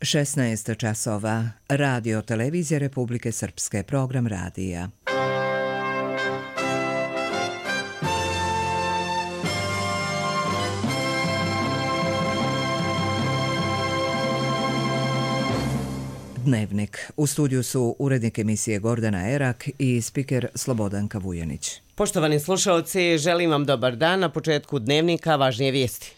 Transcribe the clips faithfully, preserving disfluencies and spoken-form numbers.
šesnaest časova. Radio Televizija Republike Srpske, program radija. Dnevnik. U studiju su urednik emisije Gordana Erak i spiker Slobodanka Vujanić. Poštovani slušalci, želim vam dobar dan. Na početku Dnevnika važnije vijesti.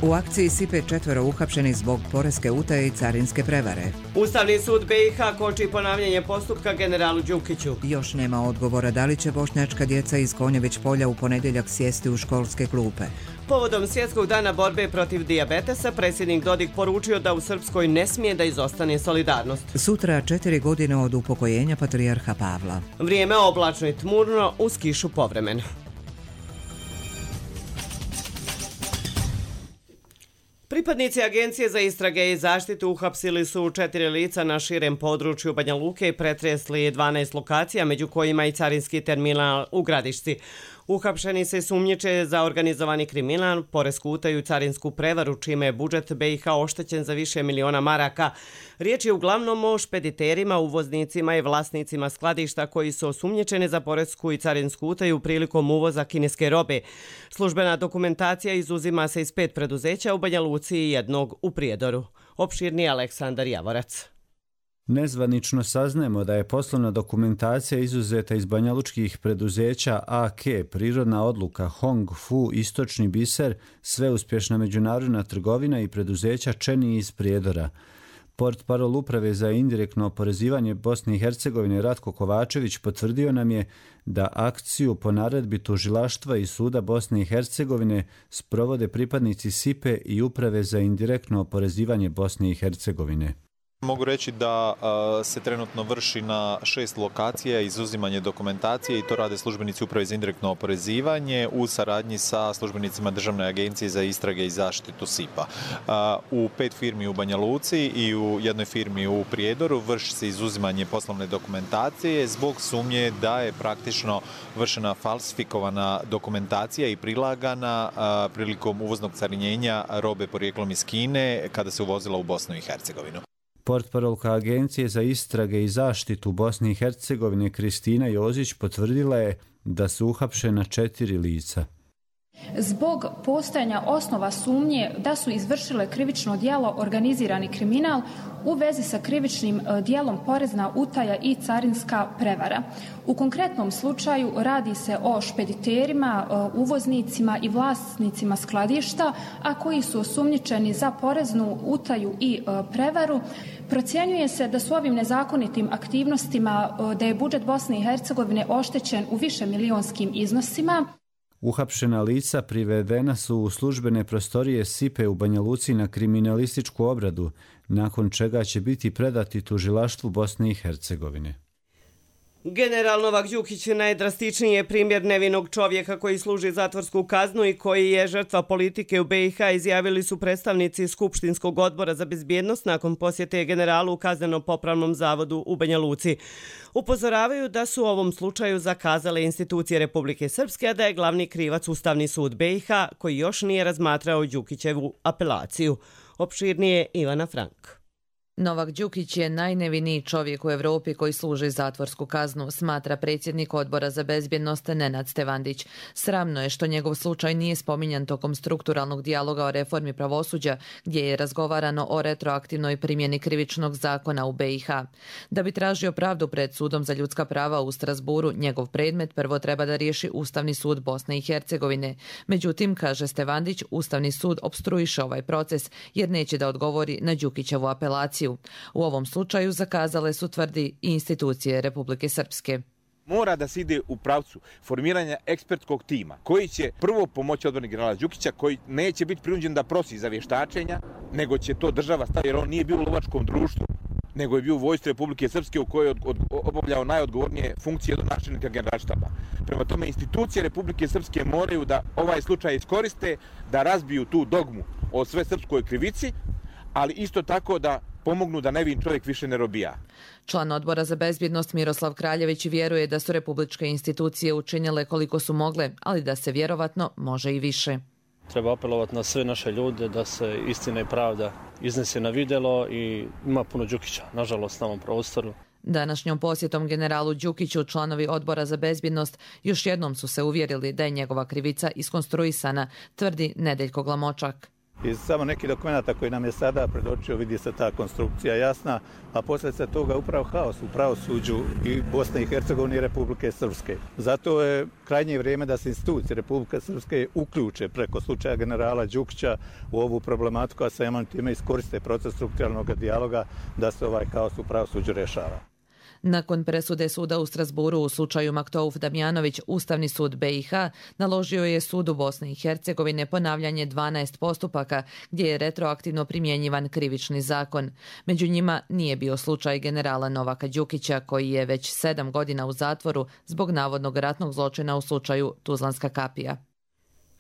U akciji S I P E četvero uhapšenih zbog poreske utaje i carinske prevare. Ustavni sud B i H koči ponavljanje postupka generalu Đukiću. Još nema odgovora da li će bošnjačka djeca iz Konjević polja u ponedjeljak sjesti u školske klupe. Povodom Svjetskog dana borbe protiv dijabetesa, predsjednik Dodik poručio da u Srpskoj ne smije da izostane solidarnost. Sutra četiri godine od upokojenja patrijarha Pavla. Vrijeme oblačno i tmurno, uz kišu povremeno. Pripadnici Agencije za istrage i zaštitu uhapsili su četiri lica na širem području Banja Luke i pretresli dvanaest lokacija, među kojima i carinski terminal u Gradišci. Uhapšeni se sumnjiče za organizovani kriminal, poresku utaju i carinsku prevaru, čime je budžet B i H oštećen za više miliona maraka. Riječ je uglavnom o špediterima, uvoznicima i vlasnicima skladišta koji su osumnjičeni za poresku i carinsku utaju prilikom uvoza kineske robe. Službena dokumentacija izuzima se iz pet preduzeća u Banja Luci i jednog u Prijedoru. Opširni Aleksandar Javorac. Nezvanično saznajemo da je poslovna dokumentacija izuzeta iz banjalučkih preduzeća A K, Prirodna odluka, Hong Fu, Istočni biser, Sveuspješna međunarodna trgovina i preduzeća Čeni iz Prijedora. Portparol Uprave za indirektno oporezivanje Bosne i Hercegovine Ratko Kovačević potvrdio nam je da akciju po naredbi tužilaštva i suda Bosne i Hercegovine sprovode pripadnici S I P E i Uprave za indirektno oporezivanje Bosne i Hercegovine. Mogu reći da uh, se trenutno vrši na šest lokacija izuzimanje dokumentacije i to rade službenici Uprave za indirektno oporezivanje u saradnji sa službenicima Državne agencije za istrage i zaštitu S I P A. Uh, u pet firmi u Banja Luci i u jednoj firmi u Prijedoru vrši se izuzimanje poslovne dokumentacije zbog sumnje da je praktično vršena falsifikovana dokumentacija i prilagana uh, prilikom uvoznog carinjenja robe porijeklom iz Kine kada se uvozila u Bosnu i Hercegovinu. Portparolka Agencije za istrage i zaštitu Bosne i Hercegovine Kristina Jozić potvrdila je da su uhapšena četiri lica. Zbog postojanja osnova sumnje da su izvršile krivično djelo organizirani kriminal u vezi sa krivičnim djelom porezna utaja i carinska prevara. U konkretnom slučaju radi se o špediterima, uvoznicima i vlasnicima skladišta, a koji su osumnjičeni za poreznu utaju i prevaru. Procjenjuje se da su ovim nezakonitim aktivnostima da je budžet Bosne i Hercegovine oštećen u više milionskim iznosima. Uhapšena lica privedena su u službene prostorije S I P E u Banja Luci na kriminalističku obradu, nakon čega će biti predati tužilaštvu Bosne i Hercegovine. General Novak Đukić najdrastičniji je primjer nevinog čovjeka koji služi zatvorsku kaznu i koji je žrtva politike u B i H, izjavili su predstavnici Skupštinskog odbora za bezbjednost nakon posjete generalu u kazneno-popravnom zavodu u Banja Luci. Upozoravaju da su u ovom slučaju zakazale institucije Republike Srpske, a da je glavni krivac Ustavni sud B i H koji još nije razmatrao Đukićevu apelaciju. Opširnije Ivana Frank. Novak Đukić je najneviniji čovjek u Europi koji služi zatvorsku kaznu, smatra predsjednik odbora za bezbjednost Nenad Stevandić. Sramno je što njegov slučaj nije spominjan tokom strukturalnog dijaloga o reformi pravosuđa, gdje je razgovarano o retroaktivnoj primjeni krivičnog zakona u B i H. Da bi tražio pravdu pred sudom za ljudska prava u Strasburu, njegov predmet prvo treba da riješi Ustavni sud Bosne i Hercegovine. Međutim, kaže Stevandić, Ustavni sud opstruiše ovaj proces jer neće da odgovori na Đukićevu apelaciju. U ovom slučaju zakazale su, tvrdi, i institucije Republike Srpske. Mora da se ide u pravcu formiranja ekspertskog tima koji će prvo pomoći odbrani generala Đukića, koji neće biti prinuđen da prosi za vještačenja, nego će to država staviti jer on nije bio u lovačkom društvu, nego je bio u vojsci Republike Srpske u kojoj je obavljao najodgovornije funkcije do načelnika generalštaba. Prema tome, institucije Republike Srpske moraju da ovaj slučaj iskoriste, da razbiju tu dogmu o svesrpskoj krivici, ali isto tako da pomognu da nevin čovjek više ne robija. Član odbora za bezbjednost Miroslav Kraljević vjeruje da su republičke institucije učinile koliko su mogle, ali da se vjerovatno može i više. Treba apelovati na sve naše ljude da se istina i pravda iznese na vidjelo i ima puno Đukića, nažalost, na ovom prostoru. Današnjom posjetom generalu Đukiću članovi odbora za bezbjednost još jednom su se uvjerili da je njegova krivica iskonstruisana, tvrdi Nedeljko Glamočak. Iz samo nekih dokumenta koji nam je sada predočio vidi se ta konstrukcija jasna, a posljedica toga upravo haos u pravosuđu i Bosne i Hercegovine i Republike Srpske. Zato je krajnje vrijeme da se institucije Republike Srpske uključe preko slučaja generala Đukića u ovu problematiku, a samim time iskoriste proces strukturalnog dijaloga da se ovaj haos u pravosuđu rješava. Nakon presude suda u Strasburu u slučaju Maktouf Damjanović, Ustavni sud B i H naložio je sudu Bosne i Hercegovine ponavljanje dvanaest postupaka gdje je retroaktivno primjenjivan krivični zakon. Među njima nije bio slučaj generala Novaka Đukića koji je već sedam godina u zatvoru zbog navodnog ratnog zločina u slučaju Tuzlanska kapija.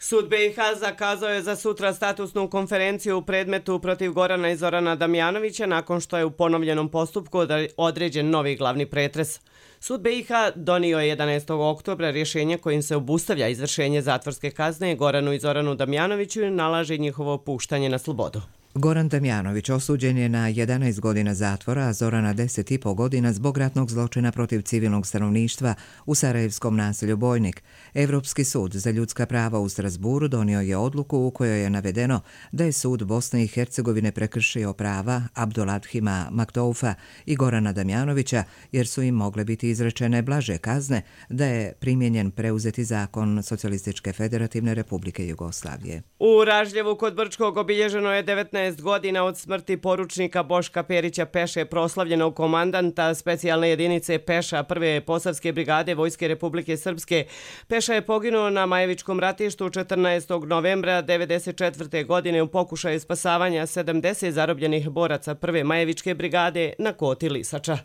Sud B i H zakazao je za sutra statusnu konferenciju u predmetu protiv Gorana i Zorana Damjanovića nakon što je u ponovljenom postupku određen novi glavni pretres. Sud B i H donio je jedanaestog oktobra rješenje kojim se obustavlja izvršenje zatvorske kazne Goranu i Zoranu Damjanoviću i nalaže njihovo puštanje na slobodu. Goran Damjanović osuđen je na jedanaest godina zatvora, a Zorana deset i po godina zbog ratnog zločina protiv civilnog stanovništva u sarajevskom naselju Bojnik. Evropski sud za ljudska prava u Strasburu donio je odluku u kojoj je navedeno da je sud Bosne i Hercegovine prekršio prava Abduladhima Maktoufa i Gorana Damjanovića jer su im mogle biti izrečene blaže kazne, da je primijenjen preuzeti zakon Socijalističke federativne republike Jugoslavije. U Ražljevu kod Brčkog obilježeno je devetnaest godina od smrti poručnika Boška Perića Peše, proslavljenog komandanta specijalne jedinice Peša prve posavske brigade Vojske Republike Srpske. Peša je poginuo na Majevičkom ratištu četrnaestog novembra devedeset četvrte. godine u pokušaju spasavanja sedamdeset zarobljenih boraca prve Majevičke brigade na Koti Lisača.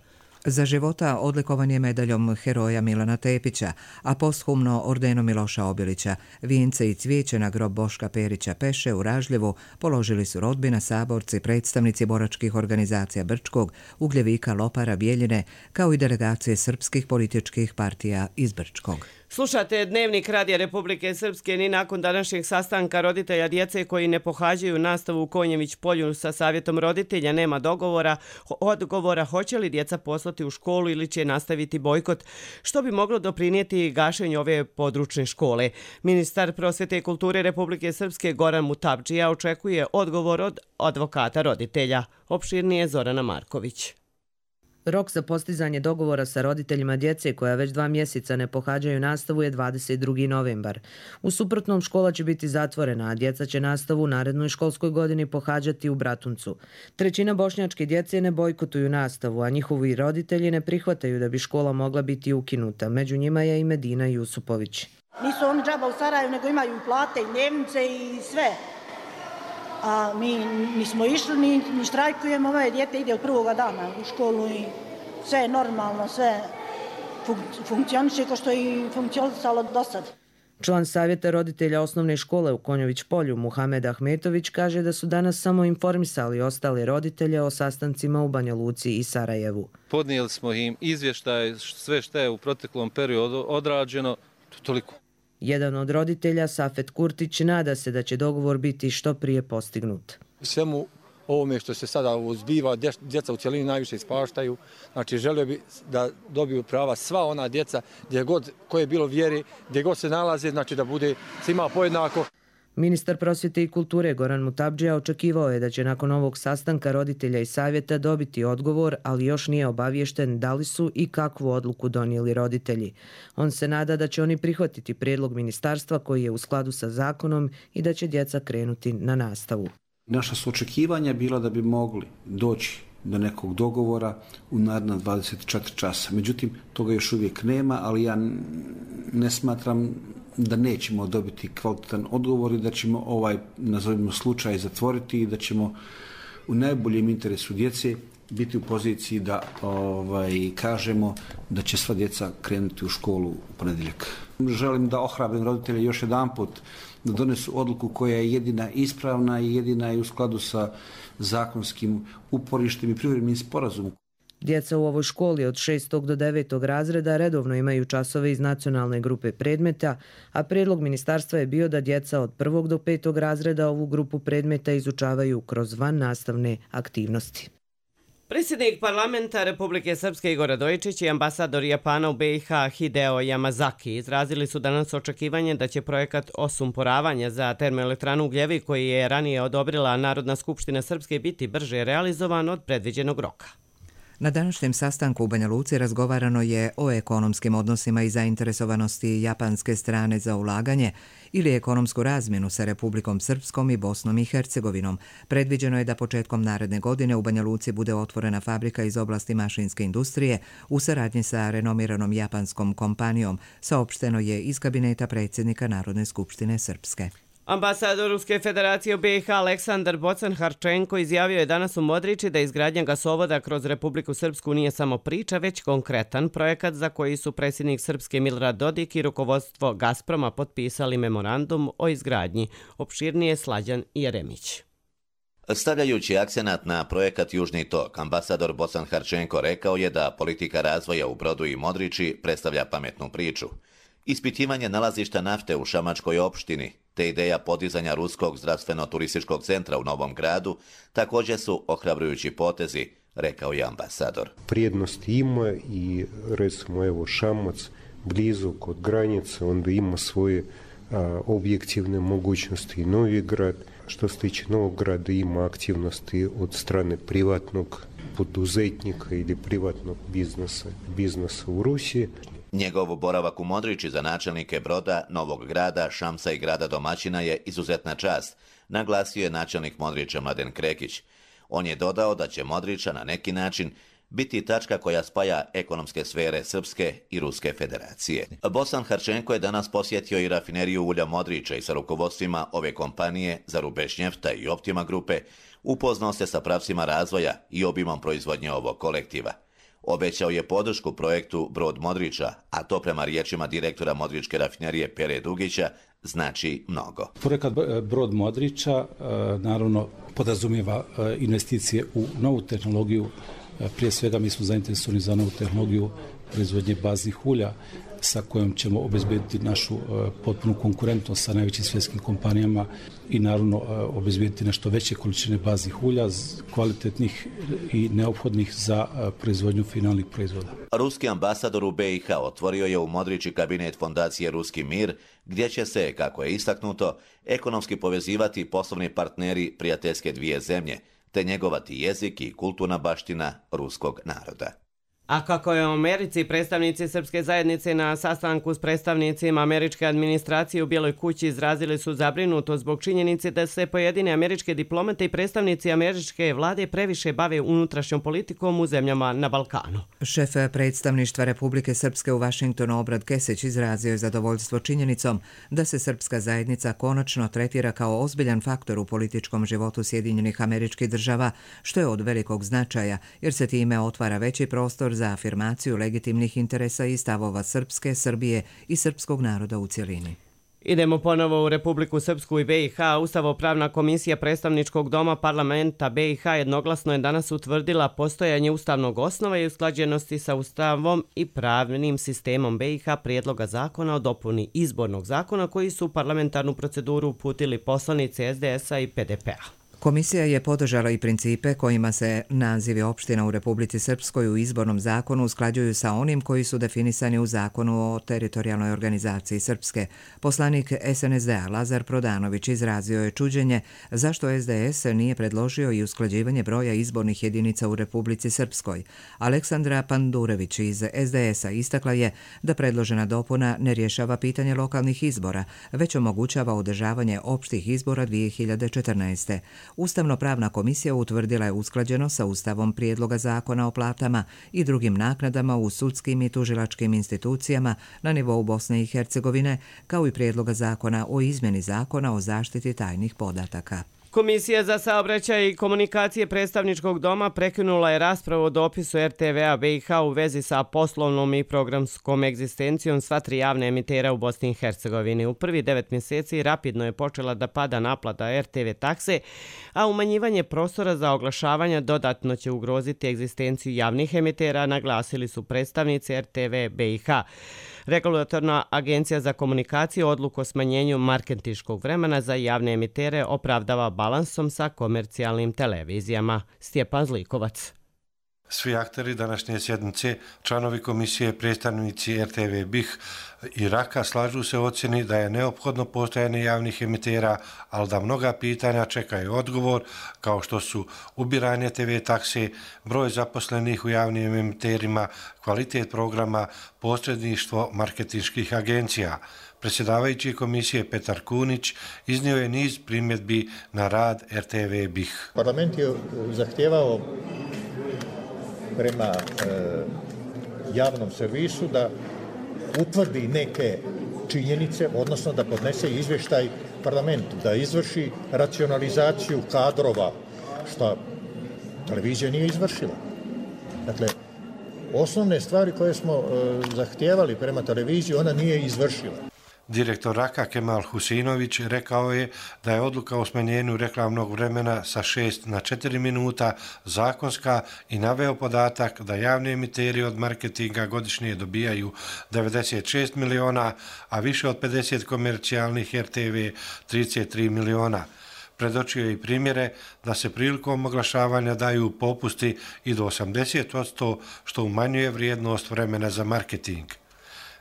Za života odlikovan je medaljom heroja Milana Tepića, a posthumno ordenom Miloša Obilića. Vijence i cvijeće na grob Boška Perića Peše u Ražljevu položili su rodbina, saborci, predstavnici boračkih organizacija Brčkog, Ugljevika, Lopara, Bijeljine, kao i delegacije srpskih političkih partija iz Brčkog. Slušate Dnevnik Radija Republike Srpske. Ni nakon današnjeg sastanka roditelja djece koji ne pohađaju nastavu u Konjević polju sa savjetom roditelja nema dogovora, odgovora hoće li djeca poslati u školu ili će nastaviti bojkot, što bi moglo doprinijeti gašenju ove područne škole. Ministar prosvjete i kulture Republike Srpske Goran Mutabdžija očekuje odgovor od advokata roditelja. Opširnije Zorana Marković. Rok za postizanje dogovora sa roditeljima djece koja već dva mjeseca ne pohađaju nastavu je dvadeset drugi novembar. U suprotnom škola će biti zatvorena, a djeca će nastavu u narednoj školskoj godini pohađati u Bratuncu. Trećina bošnjačke djece ne bojkotuju nastavu, a njihovi roditelji ne prihvataju da bi škola mogla biti ukinuta. Među njima je i Medina Jusupović. Nisu oni džaba u Sarajevu, nego imaju i plate, i dnevnice i sve. A mi nismo išli, ni, ni štrajkujemo, ove djete ide od prvoga dana u školu i sve je normalno, sve fun- funkcioniše kao što je i funkcionisalo do sad. Član savjeta roditelja osnovne škole u Konjović polju Muhamed Ahmetović kaže da su danas samo informisali ostale roditelje o sastancima u Banja Luci i Sarajevu. Podnijeli smo im izvještaj, sve što je u proteklom periodu odrađeno, to toliko. Jedan od roditelja, Safet Kurtić, nada se da će dogovor biti što prije postignut. Svemu ovome što se sada uzbiva, djeca u cjelini najviše ispaštaju. Znači, želio bi da dobiju prava sva ona djeca, gdje god koje je bilo vjeri, gdje god se nalaze, znači da bude svima pojednako. Ministar prosvjete i kulture Goran Mutabdžija očekivao je da će nakon ovog sastanka roditelja i savjeta dobiti odgovor, ali još nije obaviješten da li su i kakvu odluku donijeli roditelji. On se nada da će oni prihvatiti prijedlog ministarstva koji je u skladu sa zakonom i da će djeca krenuti na nastavu. Naša su očekivanja bila da bi mogli doći do nekog dogovora u naredna dvadeset četiri časa. Međutim, toga još uvijek nema, ali ja ne smatram da nećemo dobiti kvalitetan odgovor i da ćemo ovaj, nazovimo, slučaj zatvoriti i da ćemo u najboljem interesu djece biti u poziciji da ovaj, kažemo da će sva djeca krenuti u školu u ponedjeljak. Želim da ohrabrim roditelje još jedanput da donesu odluku koja je jedina ispravna i jedina je u skladu sa zakonskim uporištem i privremenim sporazumom. Djeca u ovoj školi od šestog do devetog razreda redovno imaju časove iz nacionalne grupe predmeta, a prijedlog ministarstva je bio da djeca od prvog do petog razreda ovu grupu predmeta izučavaju kroz vannastavne aktivnosti. Predsjednik parlamenta Republike Srpske Igor Radojičić i ambasador Japana u B i H Hideo Yamazaki izrazili su danas očekivanje da će projekat osumporavanja za termoelektranu Ugljevi, koji je ranije odobrila Narodna skupština Srpske, biti brže realizovan od predviđenog roka. Na današnjem sastanku u Banja Luci razgovarano je o ekonomskim odnosima i zainteresovanosti japanske strane za ulaganje ili ekonomsku razmjenu sa Republikom Srpskom i Bosnom i Hercegovinom. Predviđeno je da početkom naredne godine u Banja Luci bude otvorena fabrika iz oblasti mašinske industrije u saradnji sa renomiranom japanskom kompanijom, saopšteno je iz kabineta predsjednika Narodne skupštine Srpske. Ambasador Ruske federacije u B i H Aleksandar Bocan-Harčenko izjavio je danas u Modriči da izgradnja gasovoda kroz Republiku Srpsku nije samo priča, već konkretan projekat za koji su predsjednik Srpske Milorad Dodik i rukovodstvo Gazproma potpisali memorandum o izgradnji. Opširnije Slađan Jeremić. Stavljajući akcenat na projekat Južni tok, ambasador Bocan-Harčenko rekao je da politika razvoja u Brodu i Modriči predstavlja pametnu priču. Ispitivanje nalazišta nafte u Šamačkoj opštini te ideja podizanja ruskog zdravstveno-turističkog centra u Novom Gradu također su ohrabrujući potezi, rekao je ambasador. Prijednost ima i recimo evo Šamac blizu kod granice, onda ima svoje a, objektivne mogućnosti i Novi Grad. Što se tiče Novog Grada ima aktivnosti od strane privatnog poduzetnika ili privatnog biznesa, biznesa u Rusiji. Njegov boravak u Modriči za načelnike Broda, Novog Grada, Šamsa i grada domaćina je izuzetna čast, naglasio je načelnik Modriča Mladen Krekić. On je dodao da će Modriča na neki način biti tačka koja spaja ekonomske sfere Srpske i Ruske federacije. Bocan-Harčenko je danas posjetio i rafineriju ulja Modriča i sa rukovodstvima ove kompanije Zarubešnjefta i Optima grupe upoznao se sa pravcima razvoja i obimom proizvodnje ovog kolektiva. Obećao je podršku projektu Brod Modriča, a to prema riječima direktora Modričke rafinerije Pere Dugića znači mnogo. Projekat Brod Modriča naravno podrazumijeva investicije u novu tehnologiju. Prije svega mi smo zainteresovani za novu tehnologiju proizvodnje baznih ulja sa kojom ćemo obezbediti našu uh, potpunu konkurentnost sa najvećim svjetskim kompanijama i naravno uh, obezbediti nešto veće količine baznih ulja, kvalitetnih i neophodnih za uh, proizvodnju finalnih proizvoda. Ruski ambasador u B i H otvorio je u Modriči kabinet fondacije Ruski mir, gdje će se, kako je istaknuto, ekonomski povezivati poslovni partneri prijateljske dvije zemlje, te njegovati jezik i kulturna baština ruskog naroda. A kako je u Americi, predstavnici srpske zajednice na sastanku s predstavnicima američke administracije u Bijeloj kući izrazili su zabrinutost zbog činjenice da se pojedine američke diplomate i predstavnici američke vlade previše bave unutrašnjom politikom u zemljama na Balkanu. Šef predstavništva Republike Srpske u Vašingtonu Obrad Kesić izrazio je zadovoljstvo činjenicom da se srpska zajednica konačno tretira kao ozbiljan faktor u političkom životu Sjedinjenih Američkih Država, što je od velikog značaja, jer se time otvara veći prostor za afirmaciju legitimnih interesa i stavova Srpske, Srbije i srpskog naroda u cjelini. Idemo ponovo u Republiku Srpsku i B i H. Ustavopravna komisija predstavničkog doma parlamenta B i H jednoglasno je danas utvrdila postojanje ustavnog osnova i usklađenosti sa Ustavom i pravnim sistemom B i H prijedloga zakona o dopuni izbornog zakona koji su u parlamentarnu proceduru uputili poslanici S D S-a i P D P-a. Komisija je podržala i principe kojima se nazivi opština u Republici Srpskoj u izbornom zakonu usklađuju sa onim koji su definisani u zakonu o teritorijalnoj organizaciji Srpske. Poslanik S N S D-a Lazar Prodanović izrazio je čuđenje zašto S D S nije predložio i usklađivanje broja izbornih jedinica u Republici Srpskoj. Aleksandra Pandurević iz S D S-a istakla je da predložena dopuna ne rješava pitanje lokalnih izbora, već omogućava održavanje opštih izbora dvije hiljade četrnaeste. Ustavno-pravna komisija utvrdila je usklađeno sa Ustavom prijedloga zakona o platama i drugim naknadama u sudskim i tužilačkim institucijama na nivou Bosne i Hercegovine, kao i prijedloga zakona o izmjeni zakona o zaštiti tajnih podataka. Komisija za saobraćaj i komunikacije predstavničkog doma prekinula je raspravu o dopisu er te ve a be i ha u vezi sa poslovnom i programskom egzistencijom sva tri javne emitera u Bosni i Hercegovini. U prvi devet mjeseci rapidno je počela da pada naplata er te ve takse, a umanjivanje prostora za oglašavanja dodatno će ugroziti egzistenciju javnih emitera, naglasili su predstavnici er te ve a be i ha. Regulatorna agencija za komunikaciju odluku o smanjenju marketinškog vremena za javne emitere opravdava balansom sa komercijalnim televizijama. Stjepan Zlikovac. Svi akteri današnje sjednice, članovi komisije, predstavnici er te ve be i ha i Raka slažu se u ocjeni da je neophodno postojanje javnih emitera, ali da mnoga pitanja čekaju odgovor, kao što su ubiranje te ve takse, broj zaposlenih u javnim emiterima, kvalitet programa, posredništvo marketinških agencija. Predsjedavajući komisije Petar Kunić iznio je niz primjedbi na rad er te ve be i ha. Parlament je zahtijevao prema e, javnom servisu da utvrdi neke činjenice, odnosno da podnese izvještaj parlamentu, da izvrši racionalizaciju kadrova, što televizija nije izvršila. Dakle, osnovne stvari koje smo e, zahtijevali prema televiziji, ona nije izvršila. Direktor Raka Kemal Husinović rekao je da je odluka o smanjenju reklamnog vremena sa šest na četiri minuta zakonska i naveo podatak da javni emiteri od marketinga godišnje dobijaju devedeset šest miliona, a više od pedeset komercijalnih er te ve trideset tri miliona. Predočio je i primjere da se prilikom oglašavanja daju popusti i do osamdeset posto, što umanjuje vrijednost vremena za marketing.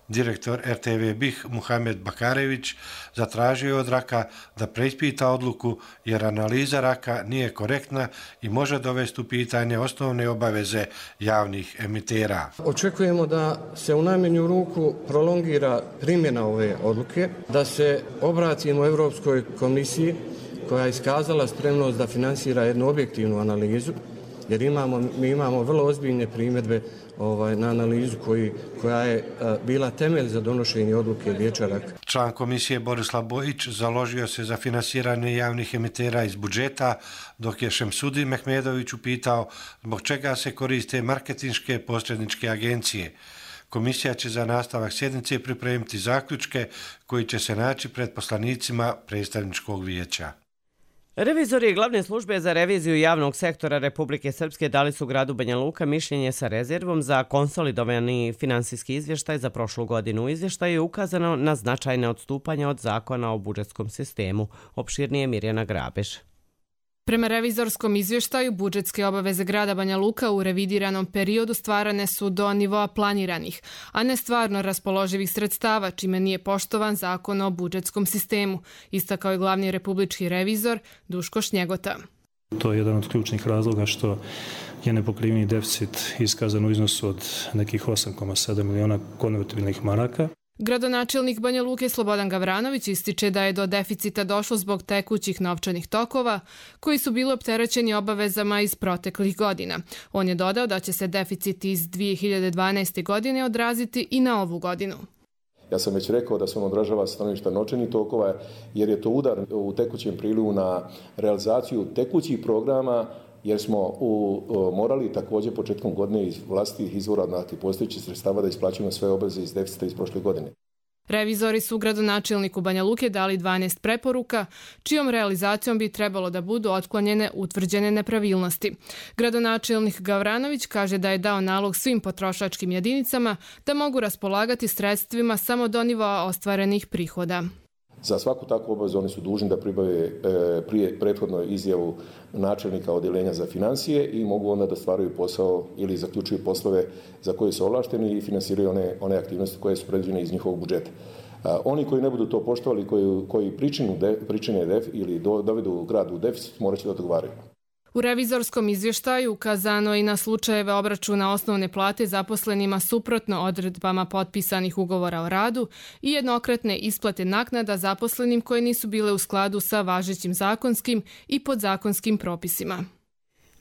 Direktor er te ve be i ha Muhamed Bakarević zatražio je od Raka da preispita odluku jer analiza Raka nije korektna i može dovesti u pitanje osnovne obaveze javnih emitera. Očekujemo da se u najmanju ruku prolongira primjena ove odluke, da se obratimo Europskoj komisiji koja je iskazala spremnost da finansira jednu objektivnu analizu, jer imamo, mi imamo vrlo ozbiljne primjedbe ovaj, na analizu koji, koja je a, bila temelj za donošenje odluke Vijeća Raka. Član komisije Borislav Bojić založio se za finansiranje javnih emitera iz budžeta, dok je Šemsudin Mehmedović upitao zbog čega se koriste marketinške posredničke agencije. Komisija će za nastavak sjednice pripremiti zaključke koji će se naći pred poslanicima predstavničkog vijeća. Revizori glavne službe za reviziju javnog sektora Republike Srpske dali su gradu Banja Luka mišljenje sa rezervom za konsolidovani finansijski izvještaj za prošlu godinu. U izvještaju je ukazano na značajne odstupanja od zakona o budžetskom sistemu. Opširnije Mirjana Grabež. Prema revizorskom izvještaju, budžetske obaveze grada Banja Luka u revidiranom periodu stvarane su do nivoa planiranih, a ne stvarno raspoloživih sredstava, čime nije poštovan zakon o budžetskom sistemu, istakao je glavni republički revizor Duško Šnjegota. To je jedan od ključnih razloga što je nepokriveni deficit iskazan u iznosu od nekih osam zarez sedam miliona konvertibilnih maraka. Gradonačelnik Banja Luke Slobodan Gavranović ističe da je do deficita došlo zbog tekućih novčanih tokova koji su bili opterećeni obavezama iz proteklih godina. On je dodao da će se deficit iz dvije hiljade dvanaeste. godine odraziti i na ovu godinu. Ja sam već rekao da se on odražava stanovišta novčanih tokova jer je to udar u tekućem prilivu na realizaciju tekućih programa, jer smo u, o, morali također početkom godine iz vlastitih izvora, dakle postojećih sredstava, da isplaćujemo sve obaveze iz deficita iz prošle godine. Revizori su gradonačelniku Banja Luke dali dvanaest preporuka, čijom realizacijom bi trebalo da budu otklonjene utvrđene nepravilnosti. Gradonačelnik Gavranović kaže da je dao nalog svim potrošačkim jedinicama da mogu raspolagati sredstvima samo do nivoa ostvarenih prihoda. Za svaku takvu obavezu oni su dužni da pribave e, prije prethodno izjavu načelnika odjeljenja za financije i mogu onda da stvaraju posao ili zaključuju poslove za koje su ovlašteni i finansiraju one, one aktivnosti koje su predviđene iz njihovog budžeta. A, oni koji ne budu to poštovali, koji, koji pričinu de, pričine def, ili do, dovedu grad u deficit, morat će da odgovaraju. U revizorskom izvještaju ukazano i na slučajeve obračuna osnovne plate zaposlenima suprotno odredbama potpisanih ugovora o radu i jednokratne isplate naknada zaposlenim koje nisu bile u skladu sa važećim zakonskim i podzakonskim propisima.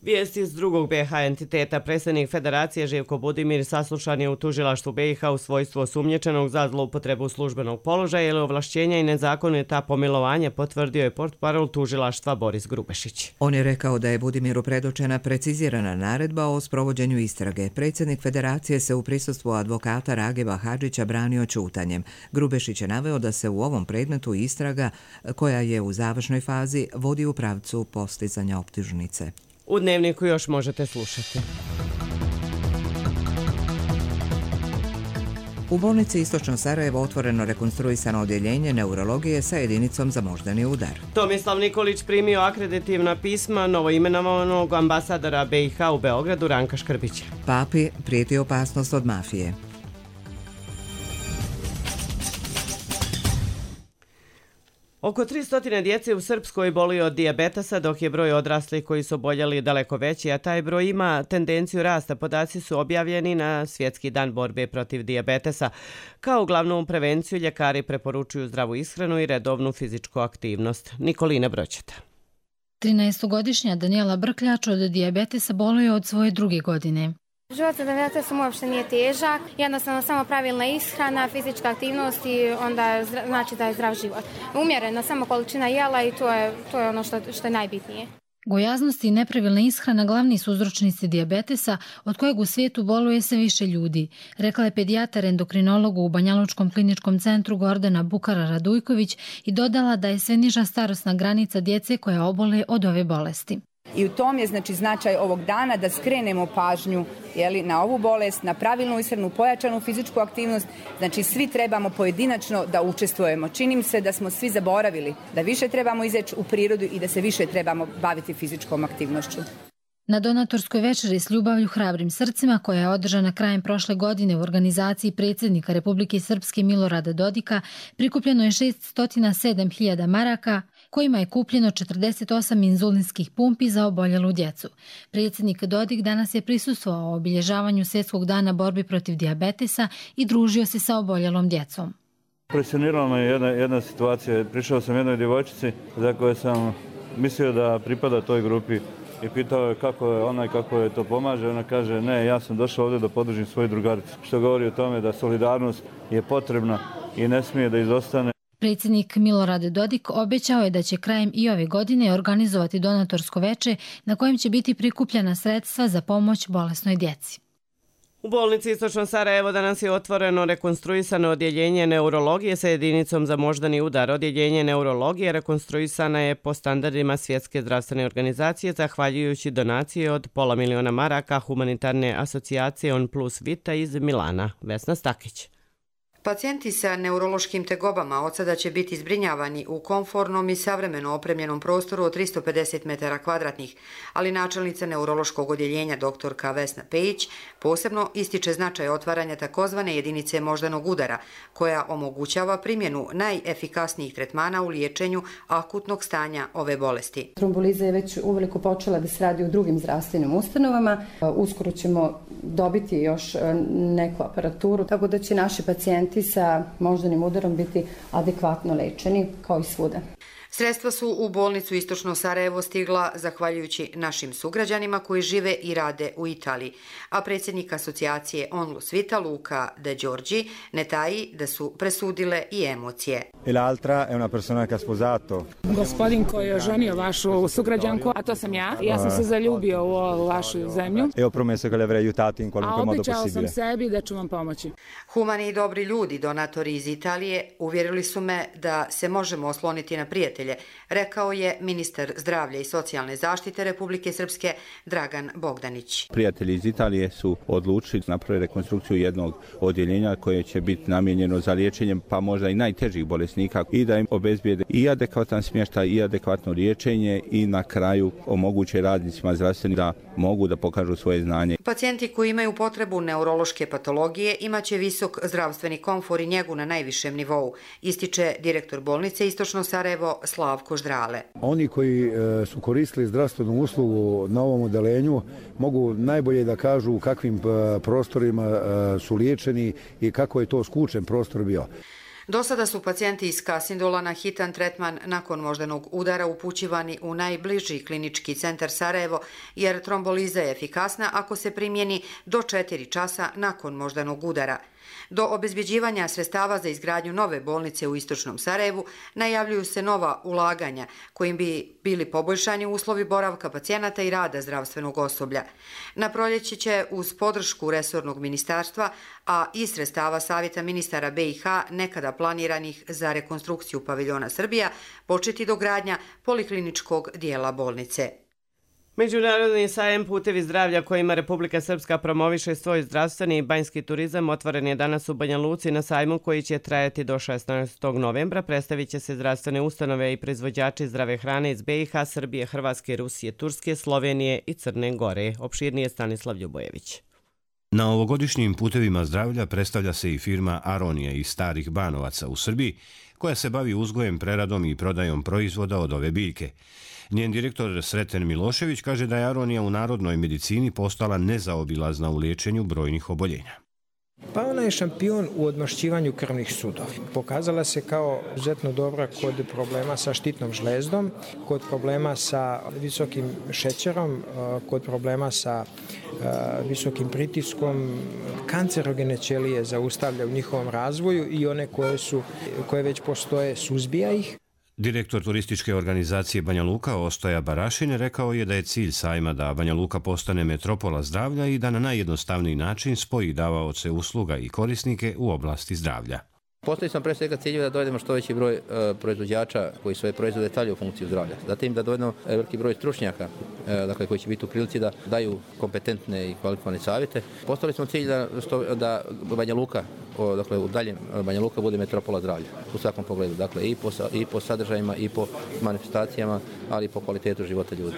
Vijesti iz drugog B iH entiteta. Predsjednik Federacije Živko Budimir saslušan je u tužilaštvu B iH u svojstvu osumnjičenog za zloupotrebu službenog položaja ili ovlašćenja i nezakonita pomilovanja, potvrdio je portparol tužilaštva Boris Grubešić. On je rekao da je Budimiru predočena precizirana naredba o sprovođenju istrage. Predsjednik Federacije se u prisustvu advokata Rageba Hadžića branio ćutanjem. Grubešić je naveo da se u ovom predmetu istraga, koja je u završnoj fazi, vodi u pravcu postizanja optužnice. U Dnevniku još možete slušati. U bolnici Istočno Sarajevo otvoreno rekonstruisano odjeljenje neurologije sa jedinicom za moždani udar. Tomislav Nikolić primio akreditivna pisma novoimenovanog ambasadora B iH u Beogradu Ranka Škrbića. Papi prijeti opasnost od mafije. Oko tristo djece u Srpskoj boli od dijabetesa, dok je broj odraslih koji su oboljeli daleko veći, a taj broj ima tendenciju rasta. Podaci su objavljeni na Svjetski dan borbe protiv dijabetesa. Kao glavnu prevenciju ljekari preporučuju zdravu ishranu i redovnu fizičku aktivnost. Nikolina Broćeta. trinaestogodišnja Danijela Brkljač od dijabetesa boluje od svoje druge godine. Život sa dijabetesom uopšte nije težak, jednostavno samo pravilna ishrana, fizička aktivnost i onda znači da je zdrav život. Umjerena samo količina jela i to je, to je ono što, što je najbitnije. Gojaznost i nepravilna ishrana glavni su uzročnici dijabetesa, od kojeg u svijetu boluje sve više ljudi, rekla je pedijatar endokrinologu u Banjalučkom kliničkom centru Gordana Bukara Radujković i dodala da je sve niža starosna granica djece koja obole od ove bolesti. I u tom je znači značaj ovog dana da skrenemo pažnju jeli, na ovu bolest, na pravilnu ishranu, pojačanu fizičku aktivnost. Znači svi trebamo pojedinačno da učestvujemo. Čini mi se da smo svi zaboravili da više trebamo izaći u prirodu i da se više trebamo baviti fizičkom aktivnošću. Na donatorskoj večeri s ljubavlju hrabrim srcima, koja je održana krajem prošle godine u organizaciji predsjednika Republike Srpske Milorada Dodika, prikupljeno je šessto sedam hiljada maraka, kojima je kupljeno četrdeset osam inzulinskih pumpi za oboljelu djecu. Predsjednik Dodik danas je prisustvovao obilježavanju Svjetskog dana borbi protiv dijabetesa i družio se sa oboljelom djecom. Impresionirala me jedna, jedna situacija. Prišao sam jednoj djevojčici za koje sam mislio da pripada toj grupi i pitao je kako je ona i kako je to pomaže. Ona kaže ne, ja sam došao ovdje da podržim svoju drugaricu. Što govori o tome da solidarnost je potrebna i ne smije da izostane. Predsjednik Milorad Dodik obećao je da će krajem i ove godine organizovati donatorsko veče na kojem će biti prikupljena sredstva za pomoć bolesnoj djeci. U bolnici Istočno Sarajevo danas je otvoreno rekonstruisano odjeljenje neurologije sa jedinicom za moždani udar. Odjeljenje neurologije rekonstruisana je po standardima Svjetske zdravstvene organizacije zahvaljujući donacije od pola miliona maraka humanitarne asocijacije On Plus Vita iz Milana. Vesna Stakić. Pacijenti sa neurološkim tegobama od sada će biti zbrinjavani u komfornom i savremeno opremljenom prostoru od tristo pedeset metara kvadratnih, ali načelnica neurološkog odjeljenja doktorka Vesna Pejić posebno ističe značaj otvaranja takozvane jedinice moždanog udara, koja omogućava primjenu najefikasnijih tretmana u liječenju akutnog stanja ove bolesti. Tromboliza je već uveliko počela da se radi u drugim zdravstvenim ustanovama. Uskoro ćemo dobiti još neku aparaturu, tako da će naši pacijenti sa moždanim udarom biti adekvatno lečeni kao i svuda. Sredstva su u bolnicu Istočno Sarajevo stigla zahvaljujući našim sugrađanima koji žive i rade u Italiji, a predsjednik asocijacije Onlus Vita Luca De Giorgi ne taji da su presudile i emocije. E l'altra è una persona che ha sposato. Gospodin koji je oženio vašu sugrađanku, a to sam ja. Ja sam se zaljubio u vašu zemlju. E ho promesso che le avrei aiutato in qualunque modo possibile. A obećao sam sebi da ću vam pomoći. Humani i dobri ljudi, donatori iz Italije, uvjerili su me da se možemo osloniti na prijatelje, rekao je ministar zdravlja i socijalne zaštite Republike Srpske Dragan Bogdanić. Prijatelji iz Italije su odlučili napraviti rekonstrukciju jednog odjeljenja koje će biti namijenjeno za liječenje pa možda i najtežih bolesnika i da im obezbijede i adekvatan smještaj i adekvatno liječenje i na kraju omoguće radnicima zdravstveni da mogu da pokažu svoje znanje. Pacijenti koji imaju potrebu neurološke patologije imaće visok zdravstveni komfor i njegu na najvišem nivou, ističe direktor bolnice Istočno Sarajevo Slavko Ždrale. Oni koji su koristili zdravstvenu uslugu na ovom odelenju mogu najbolje da kažu u kakvim prostorima su liječeni i kako je to skučen prostor bio. Do sada su pacijenti iz Kasindola na hitan tretman nakon moždanog udara upućivani u najbliži klinički centar Sarajevo, jer tromboliza je efikasna ako se primjeni do četiri časa nakon moždanog udara. Do obezbjeđivanja sredstava za izgradnju nove bolnice u istočnom Sarajevu najavljuju se nova ulaganja kojim bi bili poboljšani uslovi boravka pacijenata i rada zdravstvenog osoblja. Na proljeće će uz podršku resornog ministarstva, a i sredstava Savjeta ministara B i H nekada planiranih za rekonstrukciju paviljona Srbija, početi dogradnja polikliničkog dijela bolnice. Međunarodni sajam Putevi zdravlja kojima Republika Srpska promoviše svoj zdravstveni i banjski turizam otvoren je danas u Banja Luci na sajmu koji će trajati do šesnaestog novembra. Predstavit će se zdravstvene ustanove i proizvođači zdrave hrane iz B i H, Srbije, Hrvatske, Rusije, Turske, Slovenije i Crne Gore. Opširnije Stanislav Ljubojević. Na ovogodišnjim Putevima zdravlja predstavlja se i firma Aronija iz Starih Banovaca u Srbiji, koja se bavi uzgojem, preradom i prodajom proizvoda od ove biljke. Njen direktor Sreten Milošević kaže da je Aronija u narodnoj medicini postala nezaobilazna u liječenju brojnih oboljenja. Pa ona je šampion u odmašćivanju krvnih sudova. Pokazala se kao izuzetno dobra kod problema sa štitnom žlezdom, kod problema sa visokim šećerom, kod problema sa visokim pritiskom. Kancerogene ćelije zaustavlja u njihovom razvoju i one koje, su, koje već postoje suzbija ih. Direktor turističke organizacije Banja Luka Ostoja Barašin rekao je da je cilj sajma da Banja Luka postane metropola zdravlja i da na najjednostavniji način spoji davaoce usluga i korisnike u oblasti zdravlja. Postoji sam pre svega ciljevi da dovedemo što veći broj e, proizvođača koji svoje proizvode stavljaju u funkciju zdravlja. Zatim da dovedemo veliki broj stručnjaka e, dakle, koji će biti u prilici da daju kompetentne i kvalifikovane savjete. Postavili smo cilj da, što, da Banja Luka, o, dakle u daljem Banja Luka bude metropola zdravlja u svakom pogledu. Dakle i po, i po sadržajima i po manifestacijama, ali i po kvalitetu života ljudi.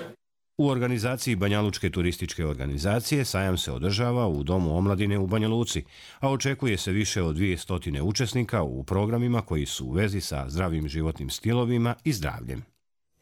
U organizaciji Banjalučke turističke organizacije sajam se održava u Domu omladine u Banja Luci, a očekuje se više od dvije stotine učesnika u programima koji su u vezi sa zdravim životnim stilovima i zdravljem.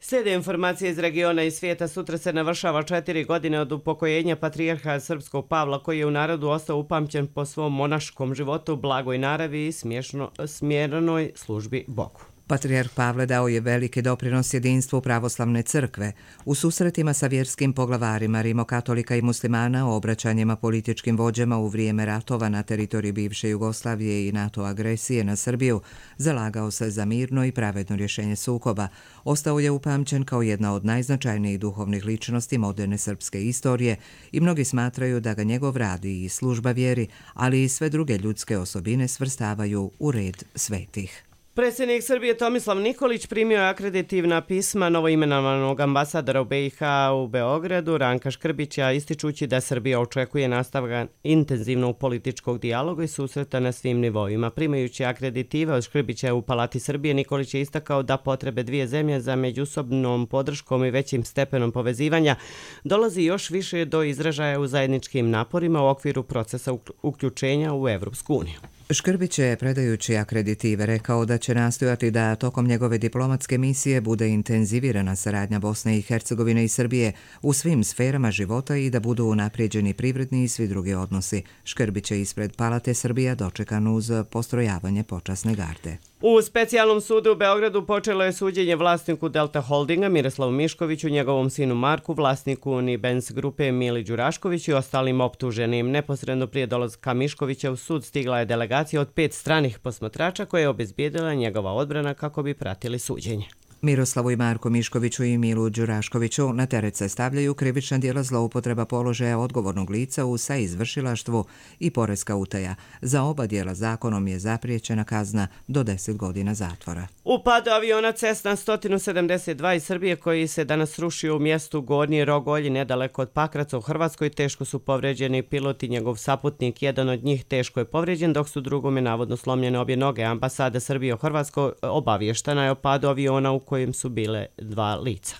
Slijede informacije iz regiona i svijeta. Sutra se navršava četiri godine od upokojenja patrijarha Srpskog Pavla, koji je u narodu ostao upamćen po svom monaškom životu, blagoj naravi i smješno, smjerenoj službi Bogu. Patrijarh Pavle dao je veliki doprinos jedinstvu pravoslavne crkve u susretima sa vjerskim poglavarima rimokatolika i muslimana, obraćanjima političkim vođama u vrijeme ratova na teritoriji bivše Jugoslavije i NATO agresije na Srbiju. Zalagao se za mirno i pravedno rješenje sukoba. Ostao je upamćen kao jedna od najznačajnijih duhovnih ličnosti moderne srpske istorije i mnogi smatraju da ga njegov rad i služba vjeri, ali i sve druge ljudske osobine svrstavaju u red svetih. Predsjednik Srbije Tomislav Nikolić primio je akreditivna pisma novoimenovanog ambasadora u B i H u Beogradu Ranka Škrbića, ističući da Srbija očekuje nastavak intenzivnog političkog dijaloga i susreta na svim nivoima. Primajući akreditive od Škrbića u Palati Srbije, Nikolić je istakao da potrebe dvije zemlje za međusobnom podrškom i većim stepenom povezivanja dolazi još više do izražaja u zajedničkim naporima u okviru procesa uključenja u Evropsku uniju. Škrbić je, predajući akreditive, rekao da će nastojati da tokom njegove diplomatske misije bude intenzivirana saradnja Bosne i Hercegovine i Srbije u svim sferama života i da budu unaprijeđeni privredni i svi drugi odnosi. Škrbić je ispred Palate Srbija dočekan uz postrojavanje počasne garde. U specijalnom sudu u Beogradu počelo je suđenje vlasniku Delta Holdinga Miroslavu Miškoviću, njegovom sinu Marku, vlasniku Unibens grupe Mili Đuraškoviću i ostalim optuženim. Neposredno prije dolazka Miškovića u sud stigla je delegacija od pet stranih posmatrača koja je obezbijedila njegova odbrana kako bi pratili suđenje. Miroslavu i Marku Miškoviću i Milu Đuraškoviću na teret se stavljaju krivična djela zloupotreba položaja odgovornog lica u saizvršilaštvu i poreska utaja. Za oba djela zakonom je zapriječena kazna do deset godina zatvora. U padu aviona Cessna sto sedamdeset dva iz Srbije koji se danas srušio u mjestu Gornji Rogolji nedaleko od Pakraca u Hrvatskoj teško su povređeni pilot i njegov saputnik. Jedan od njih teško je povređen, dok su drugome navodno slomljene obje noge. Ambasada Srbije u Hrvatskoj obavještena je o padu aviona u kojem su bile dva lica.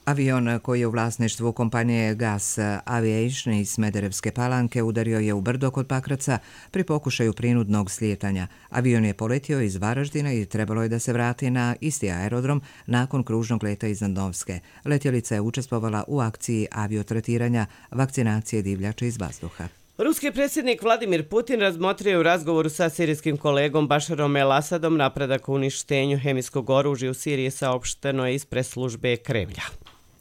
Avion koji je u vlasništvu kompanije Gas Aviation iz Smederevske Palanke udario je u brdo kod Pakraca pri pokušaju prinudnog slijetanja. Avion je poletio iz Varaždina i trebalo je da se vrati na isti aerodrom nakon kružnog leta iznad Novske. Letjelica je učestvovala u akciji aviotretiranja vakcinacije divljača iz vazduha. Ruski predsjednik Vladimir Putin razmotrio je u razgovoru sa sirijskim kolegom Bašarom el-Asadom napredak u uništenju hemijskog oružja u Siriji, saopšteno je iz preslužbe Kremlja.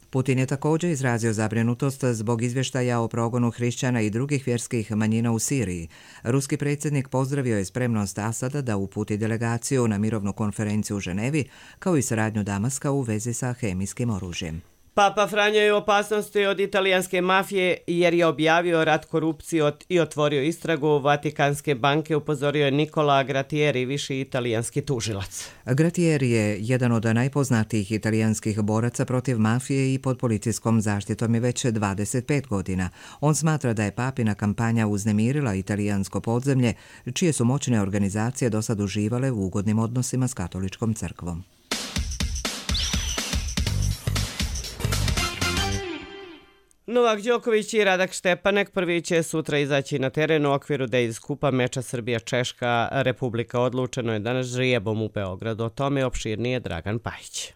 Putin je također izrazio zabrinutost zbog izvještaja o progonu hrišćana i drugih vjerskih manjina u Siriji. Ruski predsjednik pozdravio je spremnost Asada da uputi delegaciju na mirovnu konferenciju u Ženevi, kao i saradnju Damaska u vezi sa hemijskim oružjem. Papa Franjo je u opasnosti od italijanske mafije jer je objavio rat korupciji i otvorio istragu Vatikanske banke, upozorio je Nikola Gratieri, viši italijanski tužilac. Gratieri je jedan od najpoznatijih italijanskih boraca protiv mafije i pod policijskom zaštitom je već dvadeset pet godina. On smatra da je papina kampanja uznemirila italijansko podzemlje, čije su moćne organizacije do sad uživale u ugodnim odnosima s katoličkom crkvom. Novak Đoković i Radak Štepanek prvi će sutra izaći na teren u okviru Davis Kupa meča Srbija-Češka Republika. Odlučeno je danas žrijebom u Beogradu. O tome opširnije Dragan Pajić.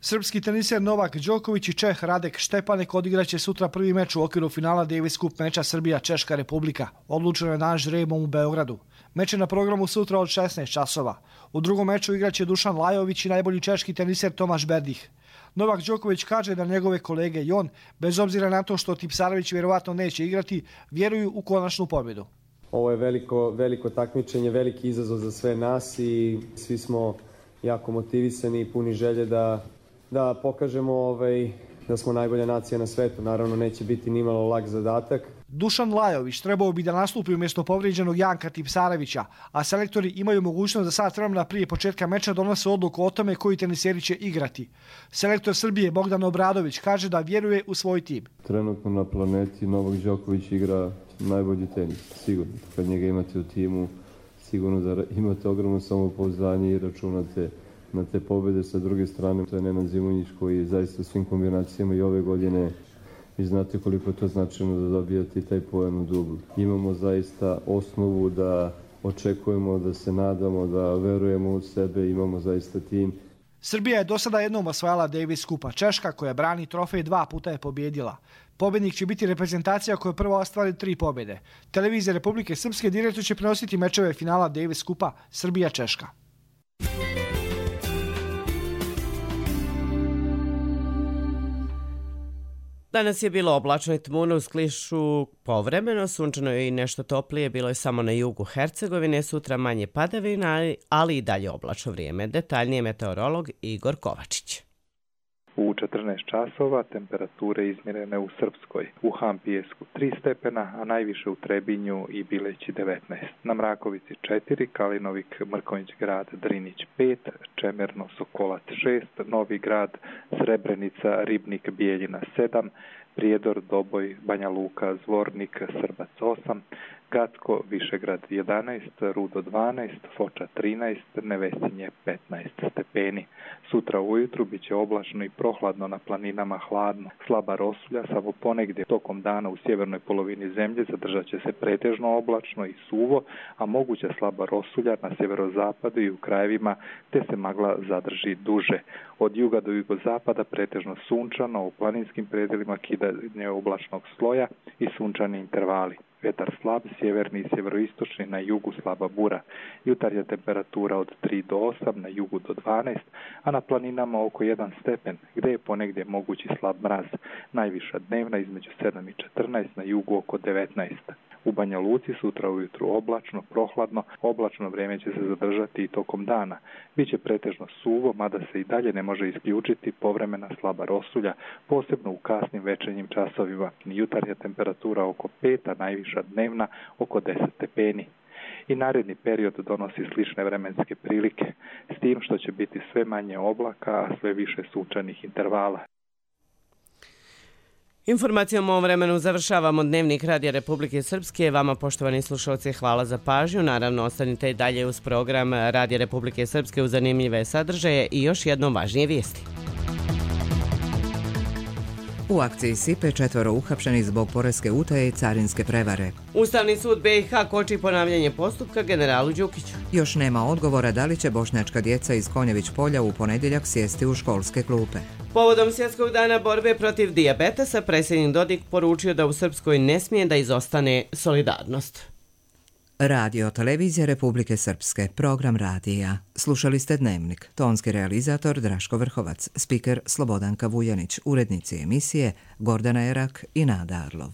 Srpski teniser Novak Đoković i Čeh Radek Štepanek odigraće sutra prvi meč u okviru finala Davis Cup meča Srbija-Češka Republika. Odlučeno je danas žrijebom u Beogradu. Meč je na programu sutra od šesnaest časova. U drugom meču igraće Dušan Lajović i najbolji češki teniser Tomaš Berdih. Novak Đoković kaže da njegove kolege i on, bez obzira na to što Tipsarević vjerovatno neće igrati, vjeruju u konačnu pobjedu. Ovo je veliko, veliko takmičenje, veliki izazov za sve nas i svi smo jako motivisani i puni želje da, da pokažemo ovaj, da smo najbolja nacija na svetu. Naravno, neće biti nimalo lak zadatak. Dušan Lajović trebao bi da nastupi umjesto povrijeđenog Janka Tipsarevića, a selektori imaju mogućnost da sat vremena prije početka meča donose odluku o tome koji teniseri će igrati. Selektor Srbije Bogdan Obradović kaže da vjeruje u svoj tim. Trenutno na planeti Novak Đoković igra najbolji tenis, sigurno. Kad njega imate u timu, sigurno da imate ogromno samopouzdanje i računate na te pobjede. Sa druge strane, to je Nenad Zimonjić koji je zaista svim kombinacijama i ove godine. Vi znate koliko je to značajno da dobijate taj poen u dublu. Imamo zaista osnovu da očekujemo, da se nadamo, da verujemo u sebe, imamo zaista tim. Srbija je do sada jednom osvajala Davis Kupa. Češka, koja brani trofej, dva puta je pobjedila. Pobjednik će biti reprezentacija koja prvo ostvari tri pobjede. Televizija Republike Srpske direktno će prenositi mečeve finala Davis Kupa Srbija-Češka. Danas je bilo oblačno i tmuno, uz klišu povremeno, sunčano je i nešto toplije, bilo je samo na jugu Hercegovine, sutra manje padavina, ali i dalje oblačno vrijeme. Detaljnije meteorolog Igor Kovačić. U četrnaest časova temperature izmjerene u Srpskoj, u Hampijesku tri stepena, a najviše u Trebinju i Bileći devetnaest. Na Mrakovici četiri, Kalinovik, Mrkonjić grad, Drinić pet, Čemerno, Sokolac šest, Novi grad, Srebrenica, Ribnik, Bijeljina sedam, Prijedor, Doboj, Banja Luka, Zvornik, Srbac osam, Gacko, Višegrad jedanaest, Rudo dvanaest, Foča trinaest, Nevesinje petnaest stepeni. Sutra ujutru bit će oblačno i prohladno, na planinama hladno. Slaba rosulja, samo ponegdje tokom dana u sjevernoj polovini zemlje zadržat će se pretežno oblačno i suvo, a moguća slaba rosulja na sjeverozapadu i u krajevima te se magla zadrži duže. Od juga do jugozapada pretežno sunčano, u planinskim predelima kidanje oblačnog sloja i sunčani intervali. Vjetar slab, sjeverni i sjeveroistočni, na jugu slaba bura. Jutarnja temperatura od tri do osam, na jugu do dvanaest, a na planinama oko jedan stepen, gdje je ponegdje mogući slab mraz. Najviša dnevna između sedam i četrnaest, na jugu oko devetnaest. U Banja Luci sutra ujutru oblačno, prohladno, oblačno vrijeme će se zadržati i tokom dana. Biće pretežno suvo, mada se i dalje ne može isključiti povremena slaba rosulja, posebno u kasnim večernjim časovima. Jutarnja temperatura oko pet, a najviša dnevna oko deset stepeni. I naredni period donosi slične vremenske prilike, s tim što će biti sve manje oblaka, a sve više sunčanih intervala. Informacijom o vremenu završavamo Dnevnik Radija Republike Srpske. Vama, poštovani slušalci, hvala za pažnju. Naravno, ostanite i dalje uz program Radija Republike Srpske u zanimljive sadržaje i još jednom važnije vijesti. U akciji Sipe četvoro uhapšenih zbog poreske utaje i carinske prevare. Ustavni sud B i H koči ponavljanje postupka generalu Đukiću. Još nema odgovora da li će bošnjačka djeca iz Konjević polja u ponedjeljak sjesti u školske klupe. Povodom Svjetskog dana borbe protiv dijabetesa, predsjednik Dodik poručio da u Srpskoj ne smije da izostane solidarnost. Radio televizija Republike Srpske, program radija. Slušali ste Dnevnik, tonski realizator Draško Vrhovac, spiker Slobodanka Vujanić, urednici emisije Gordana Erak i Nada Arlov.